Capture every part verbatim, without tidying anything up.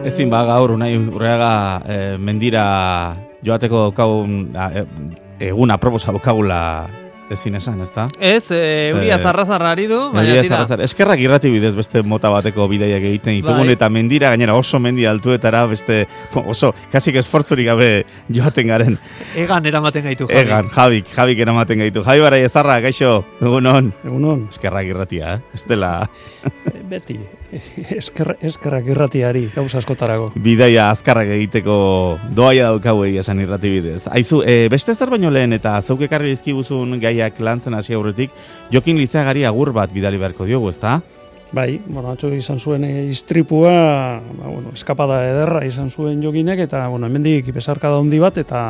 Ezin ba gaur Unai Urreaga e, mendira joateko daukagun egun aproposa daukagula ezin esan, ezta? Ez, e, euria zarra-zarra ari du, baina tira. Eskerrak irrati bidez beste mota bateko bidaiak egiten ditugun, bai. Eta mendira gainera oso mendi altuetara beste oso, kasik esfortzurik gabe joaten garen. Egan eramaten gaitu, Javi. Egan, Javik, Javik eramaten gaitu. Javi Barai Ezarra, gaixo, egunon. Egunon. Eskerrak irratia, eh? Estela. Beti, esker, eskerrak irratiari, gauza askotarago. Bidaia azkarrak egiteko doaia daukagu egia esan irrati bidez. Aizu, e, beste zer baino lehen eta zeuk ekarri dizkiguzun gaiak lantzen hasi aurretik, Jokin Lizeagari agur bat bidali beharko diogu, ezta? Bai, bueno, atzo izan zuen istripua, ba, bueno, eskapada ederra izan zuen Jokinek, eta, bueno, hemendik besarkada handi bat, eta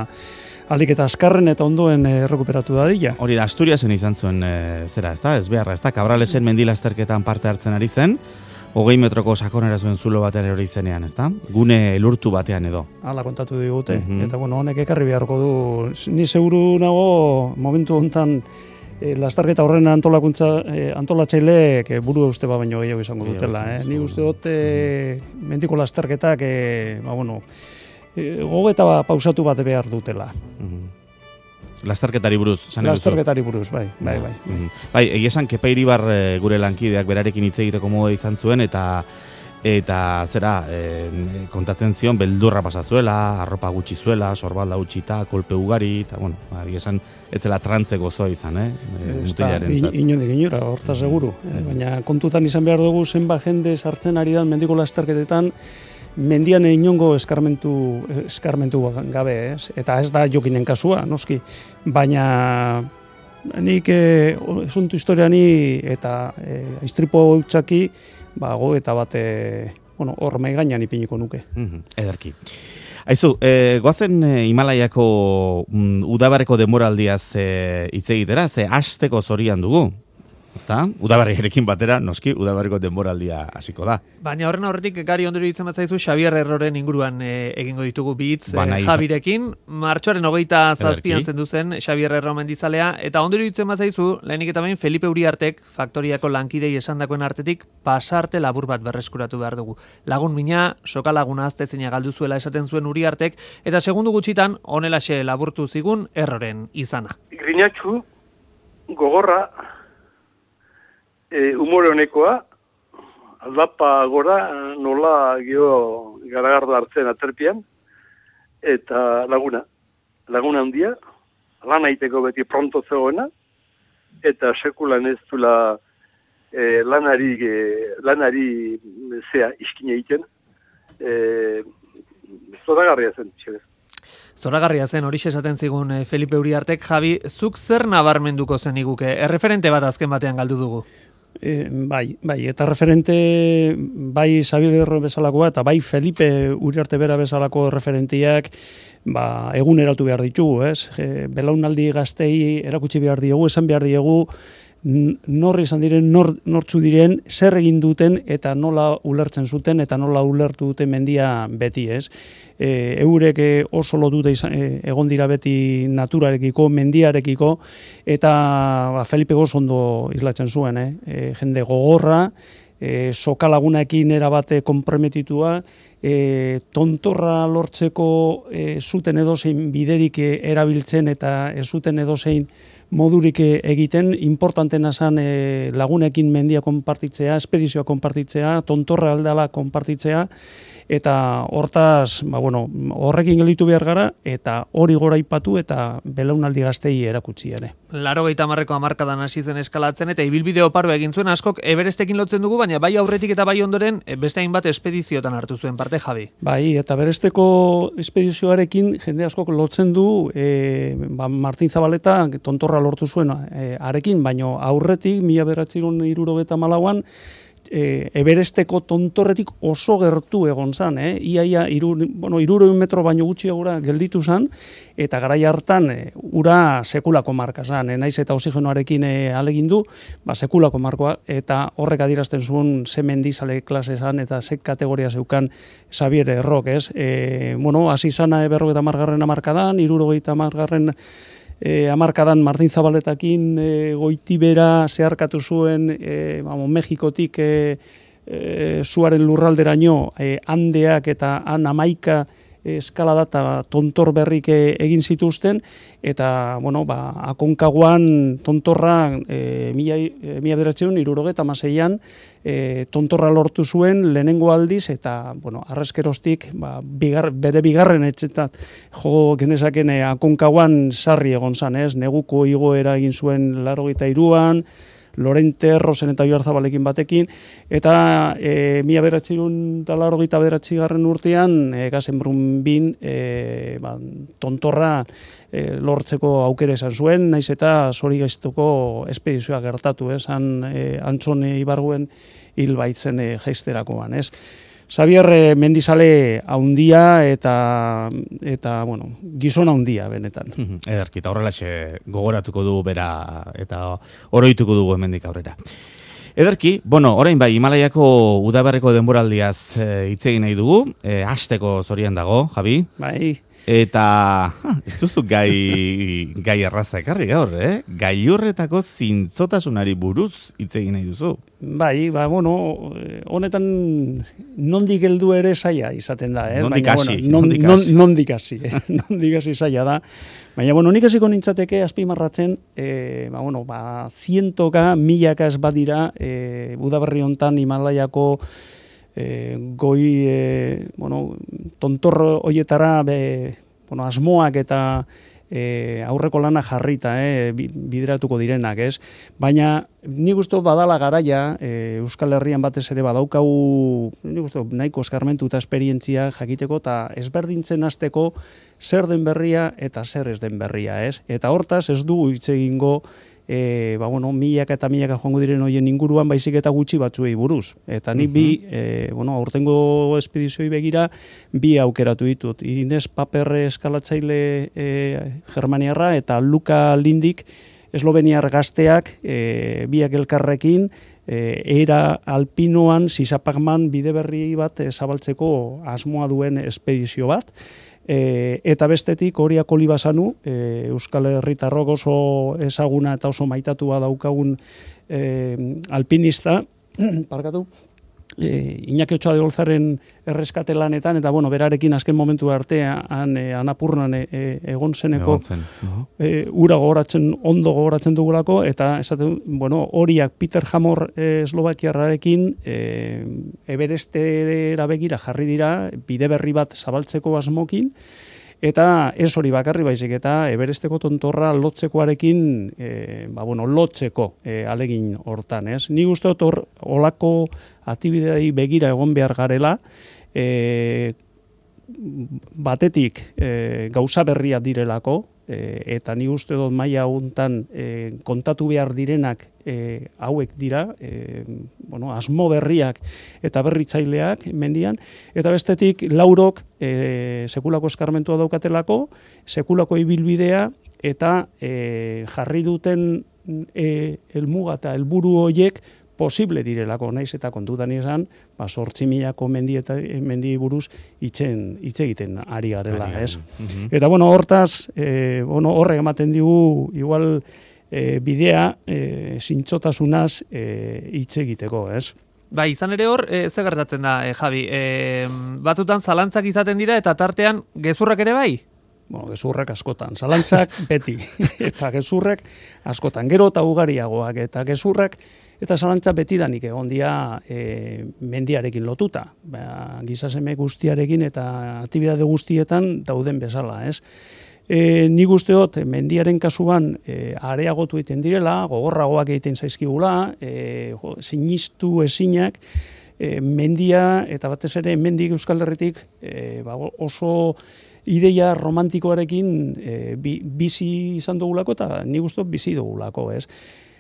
alik eta azkarren eta ondoen errekuperatu da dila. Hori da, Asturiasen izan zuen e, zera, ezta? Ez beharra, ezta? Cabralesen mendilazterketan parte hartzen ari zen, hogei metroko sakonera zuen zulo batean erori zenean, ezta? Gune elurtu batean edo. Hala kontatu digute, Mhm. eta, bueno, honek ekarri beharko du. Ni seguru nago, momentu hontan, E, lasterketa horren antolakuntza e, antolatzaileek e, buru uste ba baino gehiago izango dutela, eh. Ni uste dut e, mendiko lasterketak e, ba bueno, e, gogeta ba, pausatu bat behar dutela. Mm-hmm. Lasterketari buruz, esan Lasterketari buruz, bai, bai, bai. Mm-hmm. Bai, egia esan Kepa Iribar e, gure lankideak berarekin hitz egiteko modu izan zuen eta eta zera e, kontatzen zion beldurra pasa zuela, arropa gutxi zuela, sorbalda gutxita, kolpe ugari, eta bueno, egia esan ez zela trantze gozoa izan, eh? Mutilaren zat. Inondik inora, horta seguru. Eh, baina kontutan izan behar dugu zenba jende sartzen ari dan mendiko lasterketetan, mendian inongo eskarmentu, eskarmentu gabe, ez? Eta ez da Jokinen kasua, noski. Baina nik eh, esuntu historiani eta eh, istripo hautsaki, ba, goeta bat, e, bueno, hor maigainan ipiniko nuke. Mm-hmm. Ederki. Aizu, e, goazen e, Himalaiako mm, udabarreko denboraldiaz e, hitz egitera, ze hasteko zorian dugu. Ezta? Udabarriarekin batera, noski, udabarriko denboraldia hasiko da. Baina horren aurretik gari ondori ditzen batzaizu Xabier Erroren inguruan e, egingo ditugu bitz e, Jabirekin. Martxoaren hogeita zazpian zendu zen Xabier Erro mendizalea, eta ondori ditzen batzaizu, lehenik eta behin Felipe Uriartek, faktoriako lankidei esandakoen artetik, pasarte labur bat berreskuratu behar dugu. Lagun mina, soka laguna aztezina galdu zuela esaten zuen Uriartek, eta segundu gutxitan, honelaxe laburtu zigun Erroren izana. Grinatxu, gogorra, E, umore honekoa, aldapa gora nola geho garagardo hartzen aterpian, eta laguna, laguna handia, lan aiteko beti pronto zegoena, eta sekulan ez dula e, lanari, e, lanari zea iskina egiten, e, zoragarria zen, txerez. Zoragarria zen, hori esaten zigun Felipe Uriartek. Javi, zuk zer nabarmenduko zen iguke? Erreferente bat azken batean galdu dugu. E, bai, bai, eta referente bai Xabier Erro bezalakoa eta bai Felipe Uriarte bera bezalako referentiak ba, eguneratu behar ditugu, ez? E, belaunaldi gaztei erakutsi behar diegu, esan behar diegu nor izan diren, nor, nortzu diren, zer egin duten eta nola ulertzen zuten eta nola ulertu duten mendia beti, ez? E, eurek oso lotuta izan, e, egon dira beti naturarekiko, mendiarekiko, eta ba, Felipe goz ondo islatzen zuen, eh? E, jende gogorra, e, soka lagunekin erabate konprometitua, e, tontorra lortzeko e, zuten edozein biderik erabiltzen eta ez zuten edozein modurik egiten, importantena zen e, lagunekin mendia konpartitzea, espedizioa konpartitzea, tontorra aldala konpartitzea, eta hortaz, ba, bueno, horrekin gelditu behar gara, eta hori gora ipatu eta belaunaldi gaztei erakutsi ere. Laro gehieta marreko amarkadan hasi zen eskalatzen, eta ibilbide oparoa egin zuen askok Everestekin lotzen dugu, baina bai aurretik eta bai ondoren beste hainbat espediziotan hartu zuen parte, Javi. Bai, eta Everesteko espedizioarekin jende askok lotzen du e, ba, Martin Zabaleta tontorra lortu zuen e, arekin, baino aurretik, mila bederatziehun eta hirurogeita hamalauan, E, Everesteko tontorretik oso gertu egon zan, eh? Ia, ia, iru, bueno, iruroin metro baino gutxiagura gelditu zan, eta garai hartan e, ura sekulako marka zan, eh? Naiz eta oxigenoarekin e, alegindu, ba, sekulako markoa, eta horrek adierazten zuen ze mendizale klase zan, eta ze kategoria zeukan Xabier Errok, ez? E, bueno, hasi zana e, berrogeita hamargarren hamarkadan, hirurogeita hamargarren E, amarkadan Martin Zabaletakin e, goitibera zeharkatu zuen e, vamos, Mexikotik e, e, zuaren lurralderaino, e, handeak eta han amaika eskalada eta tontor berrik egin zituzten, eta, bueno, ba, akonkaguan tontorra e, mila, e, mila bederatzeun, irurogeta maseian, e, tontorra lortu zuen lehenengo aldiz, eta, bueno, arrezkerostik, ba, bigar, bere bigarren etxetat, jo genezaken e, akonkaguan sarri egon zan, ez? Neguko igoera egin zuen larogeita iruan, Lorente Errozen eta Oiarzabalekin batekin, eta e, mila beratxirun eta larogeita beratzi garren urtean, e, Gazenbrun bin, e, ba, tontorra e, lortzeko aukere esan zuen, naiz eta zori gaiztuko espedizioa gertatu, ez? Han, e, Antzone Ibarguen hil baitzen e, jaizterakoan, ez? Xabier mendizale haundia eta, eta bueno, gizona haundia benetan. Ederki, eta horrelaxe gogoratuko dugu bera eta oroituko dugu hemendik aurrera. Ederki, bueno, orain bai, Himalaiako udaberriko denboraldiaz hitz egin nahi dugu, e, hasteko zorian dago, Javi. Bai. Eta, ha, ez duzu gai, gai erraza ekarri gaur, eh? Gailurretako zintzotasunari buruz hitz egin nahi duzu. Bai, ba, bueno, honetan nondik heldu ere zaila izaten da, eh? Nondik hasi, bueno, non, non, nondik hasi, eh? Nondik hasi zaila da. Baina, bueno, nik hasiko nintzateke azpimarratzen, eh, ba, bueno, ba, zientoka, milaka ez badira, eh, udaberri hontan Himalaiako E, goi, e, bueno, tontor hoietara be, bueno, asmoak eta e, aurreko lana jarrita, e, bideratuko direnak, ez? Baina, nik uste badala garaia, e, Euskal Herrian batez ere badaukagu, nik uste nahiko eskarmentu eta esperientzia jakiteko, eta ezberdintzen hasteko zer den berria eta zer ez den berria, ez? Eta hortaz ez dugu hitz egingo, E, ba, bueno, milaka eta milaka joango diren hoien inguruan baizik eta gutxi batzuei buruz. Eta nik bi, e, bueno, aurtengo espedizioi begira, bi aukeratu ditut. Ines Paper eskalatzaile e, germaniarra eta Luka Lindik esloveniar gazteak, e, biak elkarrekin, e, era alpinoan zizapagman bide berri bat e, zabaltzeko asmoa duen espedizio bat. E, eta bestetik horiak olibasanu, e, Euskal Herritarrok oso ezaguna eta oso maitatua daukagun e, alpinista, parkatu, e, Iñaki Otxoa de Olzaren erreskate lanetan, eta bueno, berarekin azken momentu artean e, Anapurnan e, e, egon zeneko zen. uh-huh. e, ura gogoratzen, ondo gogoratzen dugulako, eta esaten, bueno, horiak Peter Hamor e, Eslovakiarrarekin e, Everestera begira jarri dira, bide berri bat zabaltzeko asmokin, eta ez hori bakarri baizik, eta Everesteko tontorra lotzekoarekin, e, ba, bueno, lotzeko e, alegin hortan, ez? Ni uste dut hor, olako aktibidei begira egon behar garela, e, batetik e, gauza berriak direlako, e, eta ni uste dut maila hontan e, kontatu behar direnak e, hauek dira, e, bueno, asmo berriak eta berritzaileak mendian, eta bestetik laurok e, sekulako eskarmentua daukatelako, sekulako ibilbidea, eta e, jarri duten e, helmuga eta helburu horiek posible direlako, naiz eta kontutan izan, ba, sortzi milako mendi eta mendi buruz itzen, hitz egiten ari garela, ez? Uh-huh. Eta, bueno, hortaz, e, bueno, horrek ematen digu, igual, e, bidea, e, zintzotasunaz hitz e, egiteko, ez? Ba, izan ere hor, e, ze gertatzen da, e, Javi, e, batzutan zalantzak izaten dira, eta tartean gezurrak ere bai? Bueno, gezurrak askotan, zalantzak beti, eta gezurrak askotan, gero eta ugariagoak, eta gezurrak, eta zalantza betidanik egon dia e, mendiarekin lotuta. Ba, gizaseme guztiarekin eta aktibidade guztietan dauden bezala, ez? E, nik usteot, mendiaren kasuan e, areagotu egiten direla, gogorragoak egiten zaizkigula, e, jo, sinistu ezinak, e, mendia, eta batez ere mendik Euskal Herritik e, ba, oso ideia romantikoarekin e, bi, bizi izan dugulako, eta nik usteot bizi dugulako, ez?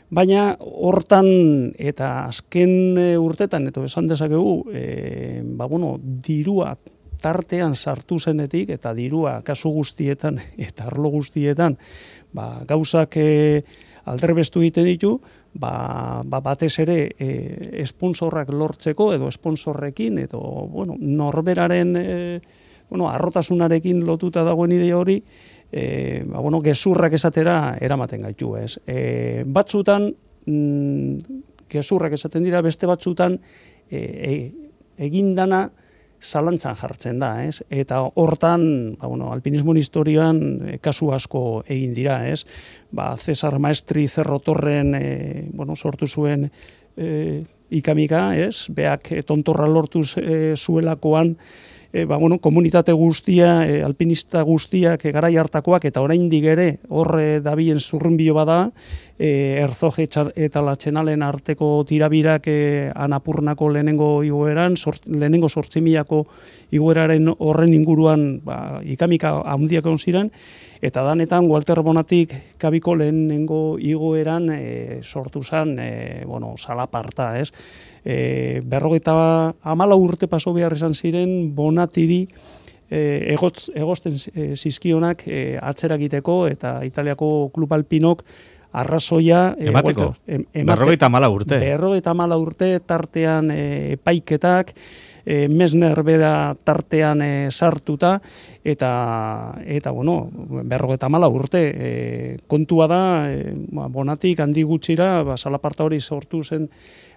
Baina hortan eta azken urtetan, eta esan dezakegu, e, ba, bueno, dirua tartean sartu zenetik, eta dirua kasu guztietan eta arlo guztietan, ba, gauzak e, alderbestu egiten ditu, ba, ba, batez ere e, esponsorrak lortzeko, edo esponsorrekin, edo bueno, norberaren e, bueno, arrotasunarekin lotuta dagoen idea hori, E, ba, bueno, gezurrak esatera eramaten gaitu, ez. E, batzutan, mm, gezurrak esaten dira, beste batzutan e, e, egindana zalantzan jartzen da, ez? Eta hortan, ba, bueno, alpinismoen historioan e, kasu asko egin dira, ez? Ba, Cesar Maestri Zerrotorren e, bueno, sortu zuen e, ikamika, ez? Beak e, tontorra lortuz e, zuelakoan, E, ba, bueno, komunitate guztia, e, alpinista guztiak, e, garai hartakoak, eta oraindik ere horre dabilen zurrunbilo bada, e, Erzoje eta Latxenalen arteko tirabirak e, Anapurnako lehenengo igoeran, sort, lehenengo sortzimilako igoeraren horren inguruan ba, ikamika handiak egon ziren, eta danetan Walter Bonatik kabiko lehenengo igoeran e, sortu zen, e, bueno, salaparta, ez? E, berrogeita hamala urte paso behar izan ziren Bonatiri e, egotz, egosten e, zizkionak e, atzera egiteko eta Italiako klub alpinok arrazoia e, emateko, em, berrogeita hamala urte. Berrogeita hamala urte tartean e, epaiketak, e, Mesner bera tartean e, sartuta, eta, eta bueno, berrogeita hamala urte. E, kontua da, e, ba, Bonatik handi gutxira, ba, salaparta hori sortu zen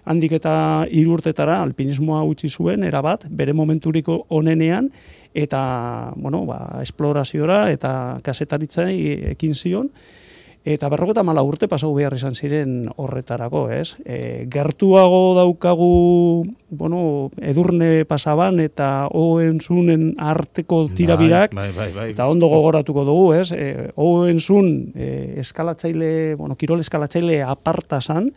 handik eta hiru urtetara alpinismoa utzi zuen, erabat, bere momenturiko onenean, eta, bueno, ba, esploraziora eta kasetaritzai ekin zion, eta berrogeita hamala urte pasau behar izan ziren horretarako, ez? E, gertuago daukagu, bueno, Edurne pasaban eta Oenzunen arteko tirabirak, bai, bai, bai, bai. Eta ondo gogoratuko dugu, ez? E, Oenzun e, eskalatzaile, bueno, kirol eskalatzaile aparta zan,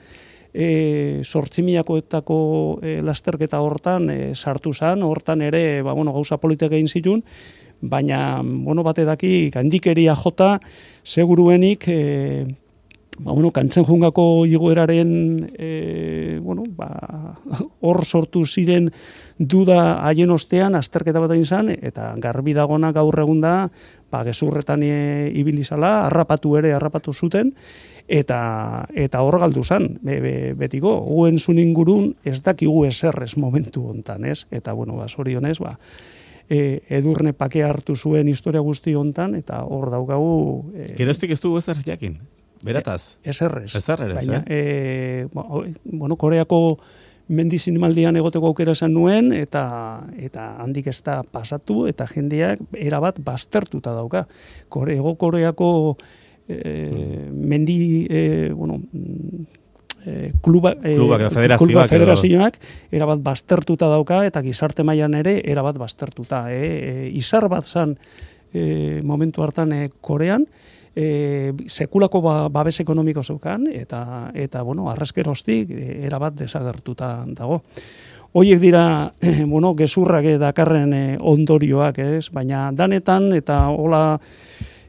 E, sortzimiakoetako e, lasterketa hortan e, sartu zan, hortan ere ba, bueno, gauza politika egin zituen, baina bueno, bate daki gandikeria jota seguruenik e, ba, bueno, kantzen jungako igoeraren e, bueno, ba, hor sortu ziren duda haien ostean azterketa bat egin zan, eta garbi dagona gaur egun da ba, gezurretan e, ibilizala, harrapatu ere harrapatu zuten, eta eta hor galdu zan, be, be, betiko, guen zun ingurun ez dakigu eserrez momentu hontan, ez? Eta, bueno, ba, zorionez, ba, e, Edurne pake hartu zuen historia guzti hontan, eta hor daukagu... E, Geroztik ez dugu ezer jakin, berataz? E, eserrez. Eserrez, baina, eh? E, bueno, Koreako mendizinmaldian egoteko aukera zen nuen, eta eta handik ez da pasatu, eta jendeak erabat baztertuta dauka. Kore, ego Koreako... E, mendi e, bueno, e, kluba, e, kluba federazioak, federazioak erabat baztertuta dauka eta gizarte mailan ere erabat baztertuta. E, e, izar bat zan e, momentu hartan e, Korean, e, sekulako ba, babes ekonomiko zeukan eta, eta bueno, arraskeroztik e, erabat desagertuta dago. Hoiek dira, eh, bueno, gezurrak dakarren e, ondorioak, ez? Baina danetan eta hola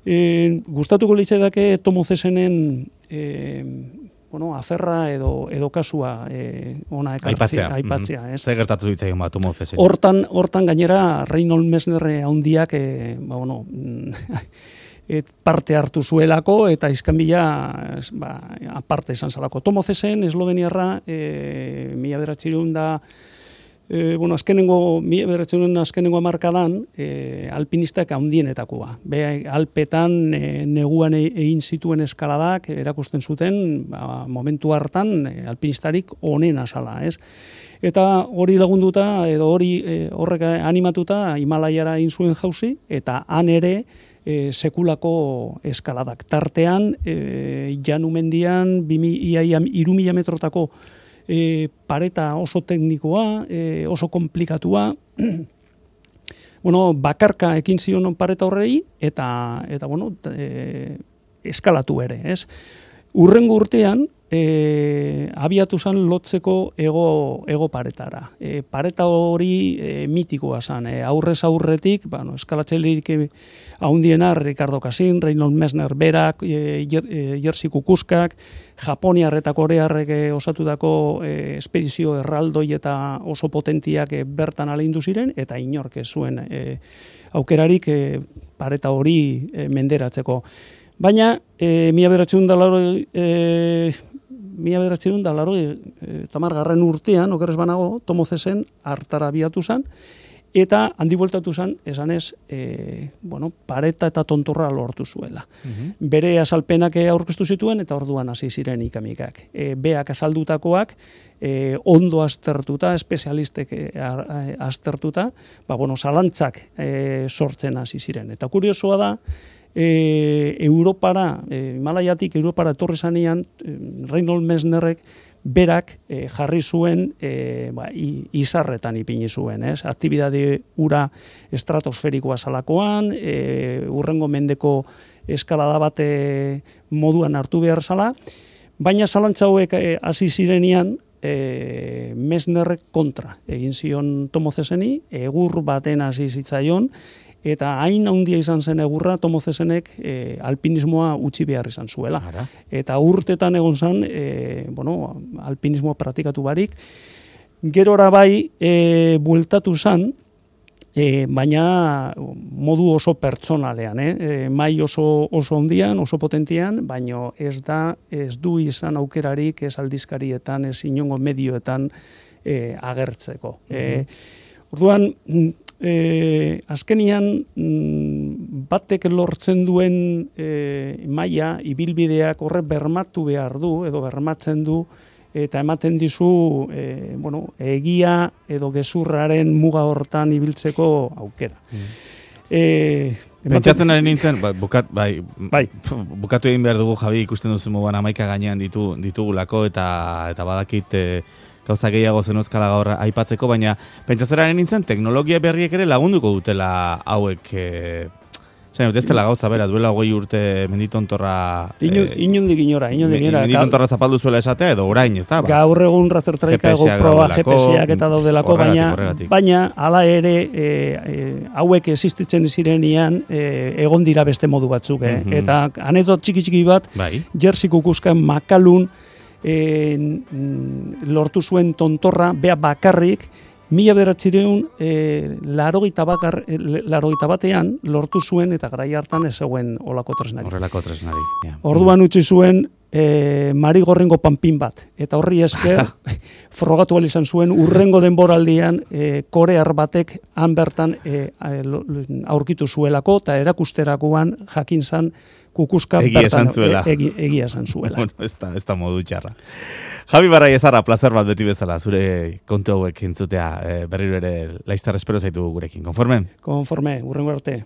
E, gustatuko litzaidake Tomo Zesenen e, bueno, aferra edo edo kasua e, ona ekartzea, aipatzea, mm-hmm. ez? Zer gertatu ditzaion ba Tomo Zesen? Hortan, hortan gainera Reinhold Messner handiak e, ba, bueno, et parte hartu zuelako eta izkanbila ba, aparte izan zalako. Tomo Zesen esloveniarra e, mila bederatziehun da E, bueno, azkenengo, mila bederatziehun azkenengo hamarkadan e, alpinistak handienetakoa. Be, Alpetan e, neguan egin zituen eskaladak erakusten zuten ba, momentu hartan e, alpinistarik onena zala, ez? Eta hori lagunduta edo hori e, horrek animatuta Himalaiara egin zuen jauzi eta han ere e, sekulako eskaladak tartean e, Janumendian hiru mila metrotako E, pareta oso teknikoa, e, oso komplikatua, bueno, bakarka ekin zion pareta horrei, eta, eta bueno, e, eskalatu ere, ez? Urrengo urtean, e, abiatu zan lotzeko ego, ego paretara. E, pareta hori e, mitikoa zan, e, aurrez aurretik, bueno, eskalatzailerik haundiena, Ricardo Casin, Reinhold Messner berak, e, Jerzy Kukuskak, Japoniar eta Korearrek osatutako e, espedizio erraldoi eta oso potentiak e, bertan aleindu ziren, eta inork ez zuen e, aukerarik e, pareta hori e, menderatzeko. Baina, e, mila bederatziehun da laro, e, mila bederatziehun da laro, e, tamargarren urtean, okerrez banago, Tomo Zesen hartara abiatu zen, eta handi bueltatu zen, esan ez, e, bueno, pareta eta tontorra lortu zuela. Uh-huh. Bere azalpenak aurkeztu zituen, eta orduan hasi ziren ikamikak. E, beak azaldutakoak, e, ondo aztertuta, espezialistek e, aztertuta, ba, bueno, zalantzak e, sortzen hasi ziren. Eta kuriosoa da, e, Europara, e, Himalaiatik Europara etorri zanean, e, Reinhold Messnerrek, berak e, jarri zuen e, ba, izarretan ipini zuen, ez? Aktibidade ura estratosferikoa zalakoan, e, urrengo mendeko eskalada bate moduan hartu behar zala, baina zalantza hauek hasi e, zirenean e, Messnerrek kontra egin zion Tomozeseni, egur baten hasi zitzaion, eta hain handia izan zen egurra Tomozesenek e, alpinismoa utzi behar izan zuela. Ara. Eta urtetan egon zen, e, bueno, alpinismoa praktikatu barik, gerora bai e, bueltatu zen, e, baina modu oso pertsonalean, eh? e, mai oso, oso ondian, oso potentian, baina ez da, ez du izan aukerarik ez aldizkarietan, ez inongo medioetan e, agertzeko. Mm-hmm. e, orduan, E, azkenian mm, batek lortzen duen e, maila, ibilbideak horre bermatu behar du, edo bermatzen du, eta ematen dizu e, bueno, egia edo gezurraren muga hortan ibiltzeko aukera. Mm. E, Pentsatzen ari nintzen, ba, bukat, bai, bai. bukatu egin behar dugu, Javi, ikusten duzu moduan amaika gainean ditu, ditugulako, eta, eta badakit... E, gauza gehiago zenuzkala gaur aipatzeko, baina pentsazeraren nintzen, teknologia berriek ere lagunduko dutela hauek, e, zain, ez dela gauza, bera, duela hogei urte menditontorra... Inu, e, inundik inora, inundik inora. Menditontorra zapaldu zuela esatea, edo orain, ez da? Ba? Gaur egun razertraika ego proba G P S-ak eta daudelako, baina, baina ala ere e, e, hauek existitzen zirenean e, egon dira beste modu batzuk, eh? Mm-hmm. Eta anedot txiki-txiki bat, bai. Jerzy Kukuskan makalun, E, lortu zuen tontorra, bea bakarrik, mila bederatzireun e, larogeita batean lortu zuen, eta garai hartan ez zegoen olako tresnari. Horrelako tresnari. Yeah. Orduan utzi zuen e, Marigorrengo panpin bat, eta horri esker frogatu izan zuen urrengo denboraldian e, korear batek han bertan e, aurkitu zuelako, eta erakusterakoan jakin zan Kukuska egia esan zuela. Egi, egia esan zuela. Bueno, ez da, ez da modu txarra. Javi Barraiezarra, placer bat beti bezala, zure kontu hauek entzutea, e, berriro ere laiztar espero zaitu gurekin. Konforme? Konforme, urrengo arte.